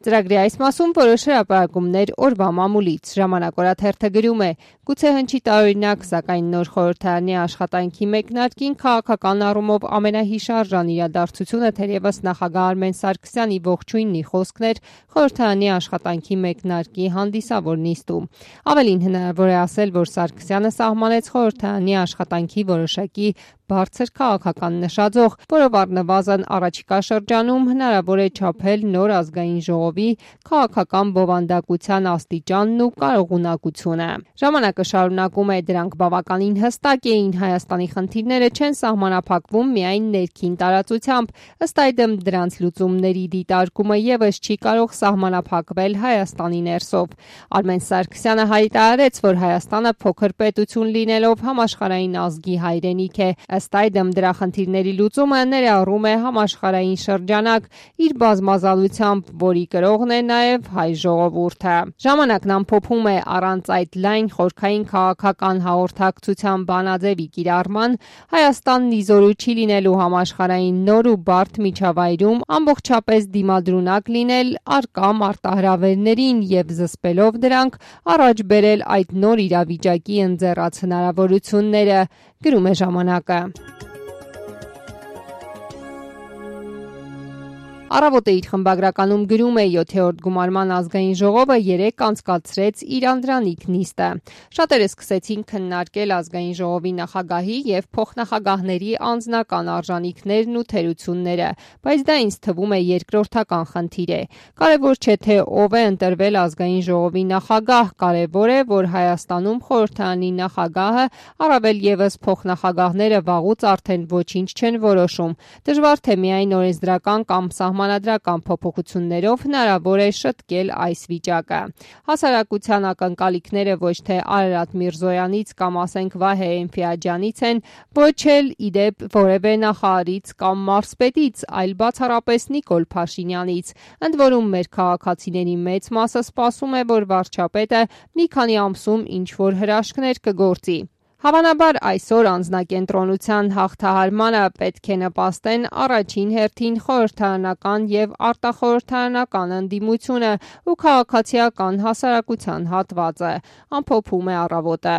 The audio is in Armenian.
Ծրագրի այս մասում որոշ հրապարակումներ օրվա մամուլից։ Ժամանակ օրաթերթը գրում է. գուցե հնչի տարօրինակ, սակայն նոր խորհրդարանի աշխատանքի մեկնարկին քաղաքական առումով ամենահիշարժան իրադարձությունը թերևս նախագահ Արմեն Սարգսյանի ողջույնի խոսքն էր խորհրդարանի աշխատանքի մեկնարկի հանդիսավոր նիստում։ Ավելին հնարավոր է ասել, որ Սարգսյանը սահմանեց խորհրդարանի աշխատանքի որոշակի բարձր քաղաքական նշաձող, որով առնվազն առաջիկա շրջանում հնարավոր է չափել նոր ազգային ժողովի քաղաքական բովանդակության աստիճանն ու կարողունակությունը։ Ժամանակը շարունակում է, դրանք բավականին հստակ էին, Հայաստանի խնդիրները չեն սահմանափակվում միայն ներքին տարածությամբ, ըստ այդմ դրանց լուծումների դիտարկումը եւս չի կարող սահմանափակվել Հայաստանի ներսով։ Արմեն Սարգսյանը հայտարարեց, որ Հայաստանը փոքր պետություն լինելով համաշխարհային ազգի հայրենիք է։ Ըստ այդմ դրա խնդիրների լուծումը ներառում է համաշխարհային շրջանակ իր բազմազանությամբ, որի կրողն է նաև հայ ժողովուրդը։ Ժամանակն ամփոփում է առանց այդ լայն խորքային քաղաքական հաղորդակցության բանաձևի կիրառման Հայաստանն իզորու չի լինելու համաշխարհային նոր ու բարդ միջավայրում ամբողջապես դիմադրունակ լինել առկա մարտահրավերներին եւ զսպելով դրանք առաջ բերել այդ նոր իրավիճակի ընձեռած հնարավորությունները, գրում է ժամանակը։ Առավոտը իր խմբագրականում գրում է 7-րդ գումարման ազգային ժողովը 3 անցկացրեց իր անդրանիկ նիստը։ Շատերը սկսեցին քննարկել ազգային ժողովի նախագահի եւ փոխնախագահների անձնական արժանինքներն ու թերությունները, բայց դա ինձ թվում է երկրորդական խնդիր է։ Կարևոր չէ թե ով է ընտրվել ազգային ժողովի նախագահ, կարևոր է, որ Հայաստանում խորհրդարանի նախագահը, առավել եւս փոխնախագահները վաղուց արդեն ոչինչ չեն որոշում։ Դժվար թե միայն օրենսդրական կամ սահմանադրական փոփոխություններով հնարավոր է շտկել այս վիճակը։ Հասարակության ակնկալիքները ոչ թե Արարատ Միրզոյանից կամ ասենք Վահե Էնֆիաջյանից են, ոչ էլ իդեպ որևէ նախարարից կամ մարզպետից, այլ բացառապես Նիկոլ Փաշինյանից։ Ընդ որում մեր քաղաքացիների մեծ մասը սպասում է, որ վարչապետը մի քանի ամսում ինչ-որ հրաշքներ կգործի։ Հավանաբար այսօր անձնակենտրոնության հաղթահարմանը պետք է նպաստեն առաջին հերթին խորհրդարանական եւ արտախորհրդարանական ընդդիմությունը ու քաղաքացիական հասարակության հատվածը, ամփոփում է Առավոտը։